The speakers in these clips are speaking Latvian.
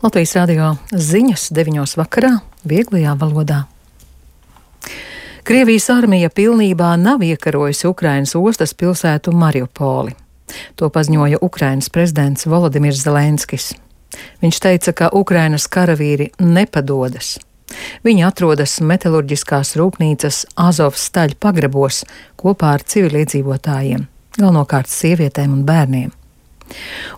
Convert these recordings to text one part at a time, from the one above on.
Latvijas radio ziņas 9 vakarā vieglajā valodā. Krievijas armija pilnībā nav iekarojusi Ukrainas ostas pilsētu Mariupoli. To paziņoja Ukrainas prezidents Volodimirs Zelenskis. Viņš teica, ka Ukrainas karavīri nepadodas. Viņi atrodas metalurģiskās rūpnīcas Azovstaļ pagrabos kopā ar civiliedzīvotājiem, galvenokārt sievietēm un bērniem.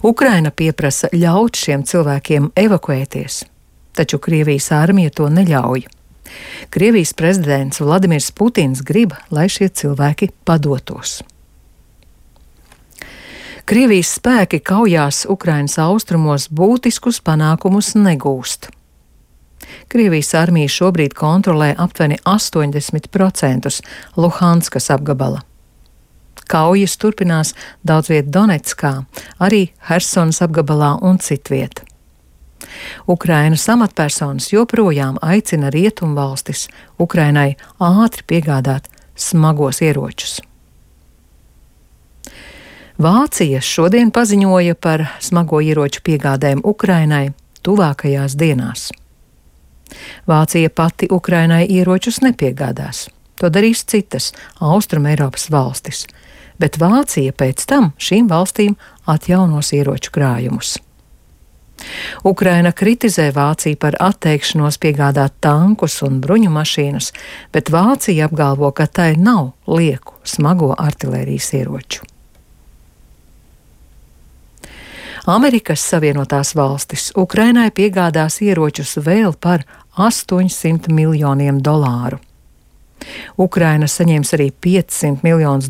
Ukraina pieprasa ļaut šiem cilvēkiem evakuēties, taču Krievijas armija to neļauj. Krievijas prezidents Vladimirs Putins grib, lai šie cilvēki padotos. Krievijas spēki kaujās Ukrainas austrumos būtiskus panākumus negūst. Krievijas armija šobrīd kontrolē aptuveni 80% Luhanskas apgabala. Kaujas turpinās daudz viet Donetskā, arī Hersonas apgabalā un citviet. Ukrainas amatpersonas joprojām aicina rietumvalstis Ukrainai ātri piegādāt smagos ieročus. Vācija šodien paziņoja par smago ieroču piegādēm Ukrainai tuvākajās dienās. Vācija pati Ukrainai ieročus nepiegādās. To darīs citas Austrum Eiropas valstis, bet Vācija pēc tam šīm valstīm atjaunos ieroču krājumus. Ukraina kritizē Vāciju par atteikšanos piegādāt tankus un bruņu mašīnas, bet Vācija apgalvo, ka tai nav lieku smago artilērijas ieroču. Amerikas Savienotās valstis Ukrainai piegādās ieročus vēl par $800 miljoniem. Ukraina saņems arī $500 miljonus,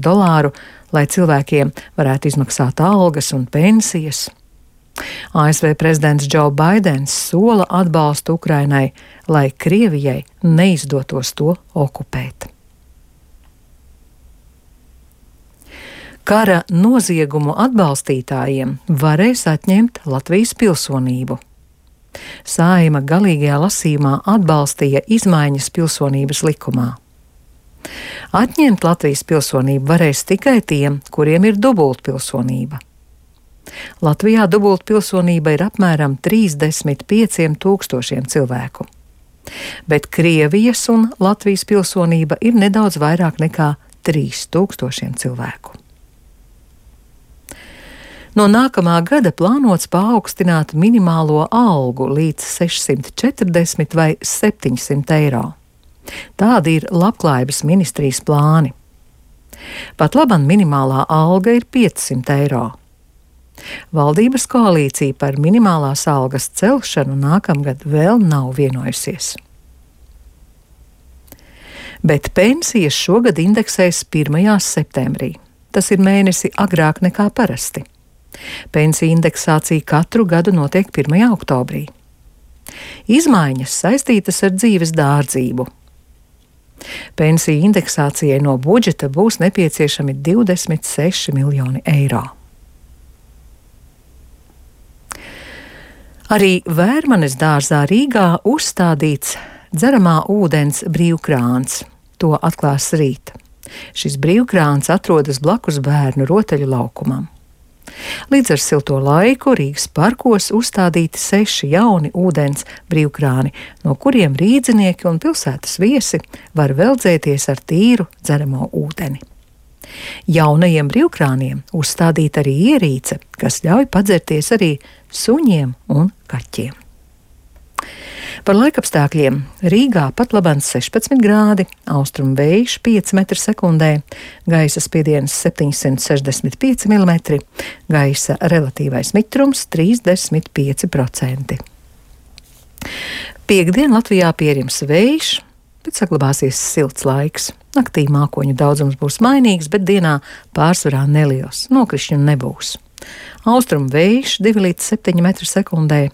lai cilvēkiem varētu izmaksāt algas un pensijas. ASV prezidents Džo Baidens sola atbalstu Ukrainai, lai Krievijai neizdotos to okupēt. Kara noziegumu atbalstītājiem varēs atņemt Latvijas pilsonību. Saeima galīgajā lasījumā atbalstīja izmaiņas pilsonības likumā. Atņemt Latvijas pilsonību varēs tikai tiem, kuriem ir dubultpilsonība. Latvijā dubultpilsonība ir apmēram 35 000 cilvēku, bet Krievijas un Latvijas pilsonība ir nedaudz vairāk nekā 3000 cilvēku. No nākamā gada plānots paaugstināt minimālo algu līdz 640 vai 700 eiro. Tādi ir Labklājības ministrijas plāni. Pat labam minimālā alga ir 500 eiro. Valdības koalīcija par minimālās algas celšanu nākamgad vēl nav vienojusies. Bet pensijas šogad indeksēs 1. septembrī. Tas ir mēnesi agrāk nekā parasti. Pensiju indeksācija katru gadu notiek 1. oktobrī. Izmaiņas saistītas ar dzīves dārdzību. Pensiju indeksācijai no budžeta būs nepieciešami 26 miljoni eiro. Arī Vērmanes dārzā Rīgā uzstādīts dzeramā ūdens brīvkrāns. To atklās rīt. Šis brīvkrāns atrodas blakus bērnu rotaļu laukumam. Līdz ar silto laiku Rīgas parkos uzstādīti 6 jauni ūdens brīvkrāni, no kuriem rīdzinieki un pilsētas viesi var veldzēties ar tīru dzeramo ūdeni. Jaunajiem brīvkrāniem uzstādīta arī ierīce, kas ļauj padzerties arī suņiem un kaķiem. Par laikapstākļiem Rīgā pat labāk 16 grādi, austrumu vējš 5 m/sekundē, gaisa spiediens 765 mm, gaisa relatīvais mitrums 35%. Piektdien Latvijā pierims vējš, bet saglabāsies silts laiks. Naktī mākoņu daudzums būs mainīgs, bet dienā pārsvarā neliels, nokrišņu nebūs. Austrumu vējš 2 līdz 7 m/sekundē.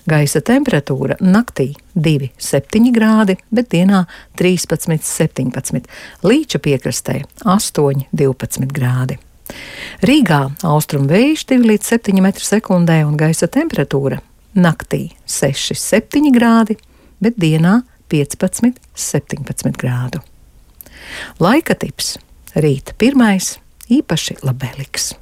Gaisa temperatūra naktī 2,7 grādi, bet dienā 13,17, Līča piekrastē 8,12 grādi. Rīgā austrumu vējš 2 līdz 7 m/sekundē un gaisa temperatūra naktī 6,7 grādi, bet dienā 15,17 grādu. Laika tips rīt 1. īpaši labēlīgs.